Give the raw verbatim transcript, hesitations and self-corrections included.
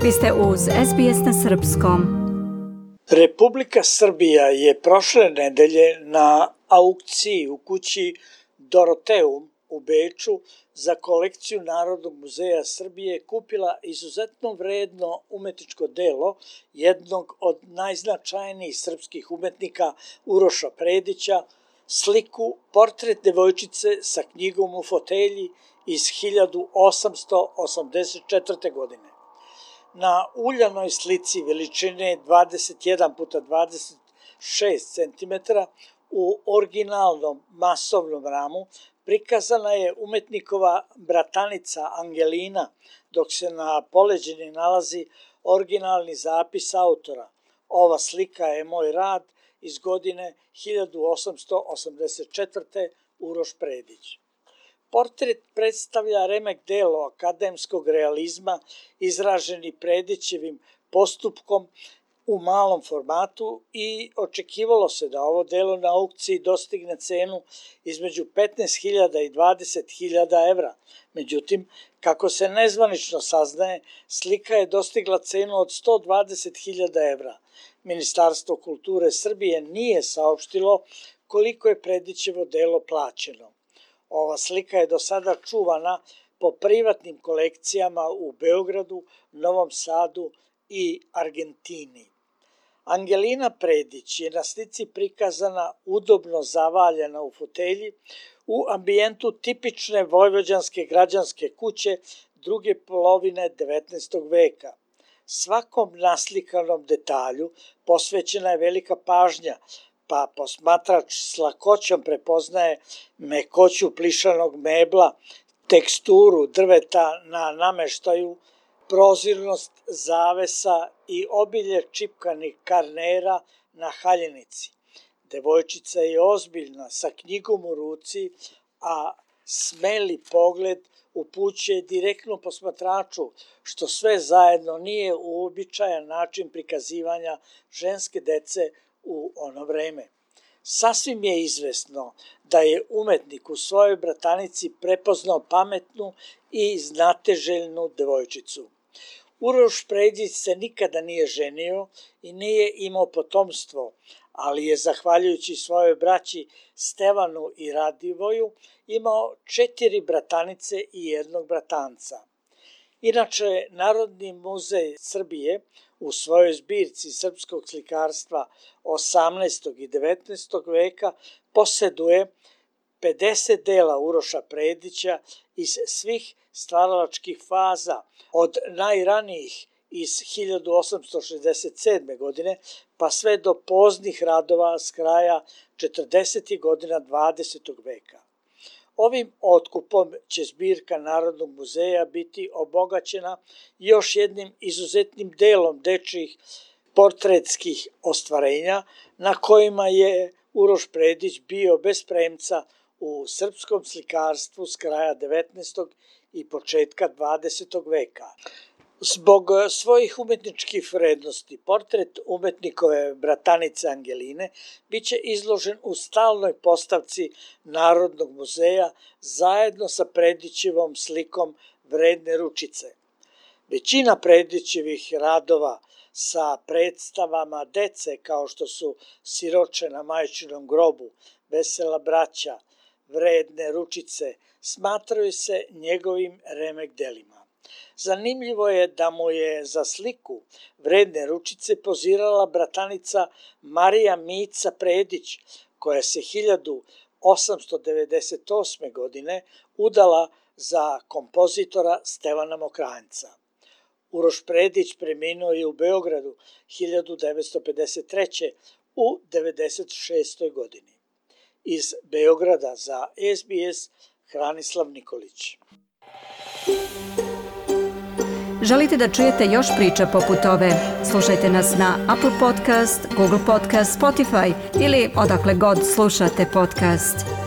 Vi ste uz S B S na srpskom. Republika Srbija je prošle nedelje na aukciji u kući Doroteum u Beču za kolekciju Narodnog muzeja Srbije kupila izuzetno vredno umetničko delo jednog od najznačajnijih srpskih umetnika Uroša Predića, sliku Portret devojčice sa knjigom u fotelji iz hiljadu osamsto osamdeset četvrte. godine. Na uljanoj slici veličine dvadeset jedan puta dvadeset šest centimetara u originalnom masovnom ramu prikazana je umetnikova bratanica Angelina, dok se na poleđini nalazi originalni zapis autora. Ova slika je moj rad iz godine hiljadu osamsto osamdeset četvrte. Uroš Predić. Portret predstavlja remek delo akademskog realizma izraženi Predićevim postupkom u malom formatu i očekivalo se da ovo delo na aukciji dostigne cenu između petnaest hiljada i dvadeset hiljada evra. Međutim, kako se nezvanično saznaje, slika je dostigla cenu od sto dvadeset hiljada evra. Ministarstvo kulture Srbije nije saopštilo koliko je Predićevo delo plaćeno. Ova slika je do sada čuvana po privatnim kolekcijama u Beogradu, Novom Sadu i Argentini. Angelina Predić je na slici prikazana udobno zavaljena u fotelji u ambijentu tipične vojvođanske građanske kuće druge polovine devetnaestog veka. Svakom naslikanom detalju posvećena je velika pažnja, pa posmatrač s lakoćom prepoznaje mekoću plišanog mebla, teksturu drveta na nameštaju, prozirnost zavesa i obilje čipkanih karnera na haljenici. Devojčica je ozbiljna, sa knjigom u ruci, a smeli pogled upućuje direktno posmatraču, što sve zajedno nije uobičajen način prikazivanja ženske dece u ono vreme. Sasvim je izvesno da je umetnik u svojoj bratanici prepoznao pametnu i znateželjnu devojčicu. Uroš Predić se nikada nije ženio i nije imao potomstvo, ali je, zahvaljujući svojoj braći Stevanu i Radivoju, imao četiri bratanice i jednog bratanca. Inače, Narodni muzej Srbije u svojoj zbirci srpskog slikarstva osamnaestog i devetnaestog veka poseduje pedeset dela Uroša Predića iz svih stvaralačkih faza, od najranijih iz hiljadu osamsto šezdeset sedme. godine pa sve do poznih radova s kraja četrdesetih godina dvadesetog veka. Ovim otkupom će zbirka Narodnog muzeja biti obogaćena još jednim izuzetnim delom dečjih portretskih ostvarenja na kojima je Uroš Predić bio bez premca u srpskom slikarstvu s kraja devetnaestog i početka dvadesetog veka. Zbog svojih umetničkih vrednosti, portret umetnikove bratanice Angeline biće izložen u stalnoj postavci Narodnog muzeja zajedno sa Predićevom slikom Vredne ručice. Većina Predićevih radova sa predstavama dece kao što su Siroče na majčinom grobu, Vesela braća, Vredne ručice, smatraju se njegovim remek delima. Zanimljivo je da mu je za sliku Vredne ručice pozirala bratanica Marija Mica Predić, koja se hiljadu osamsto devedeset osme. godine udala za kompozitora Stevana Mokranjca. Uroš Predić preminuo je u Beogradu hiljadu devetsto pedeset treće. u devedeset šestoj. godini. Iz Beograda za S B S Hranislav Nikolić. Želite da čujete još priča poput ove? Slušajte nas na Apple Podcast, Google Podcast, Spotify ili odakle god slušate podcast.